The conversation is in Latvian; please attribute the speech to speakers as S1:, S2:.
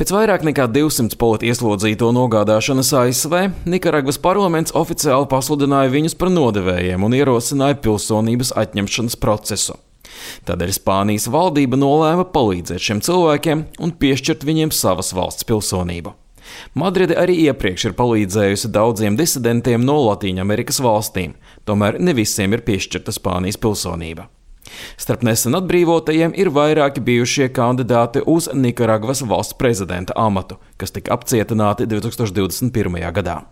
S1: Pēc vairāk nekā 200 politieslodzīto nogādāšanas ASV, Nikaragvas parlaments oficiāli pasludināja viņus par nodevējiem un ierosināja pilsonības atņemšanas procesu. Tādēļ Spānijas valdība nolēma palīdzēt šiem cilvēkiem un piešķirt viņiem savas valsts pilsonību. Madride arī iepriekš ir palīdzējusi daudziem disidentiem no Latīņamerikas valstīm, tomēr ne visiem ir piešķirta Spānijas pilsonība. Starp nesen atbrīvotajiem ir vairāki bijušie kandidāti uz Nikaragvas valsts prezidenta amatu, kas tika apcietināti 2021. gadā.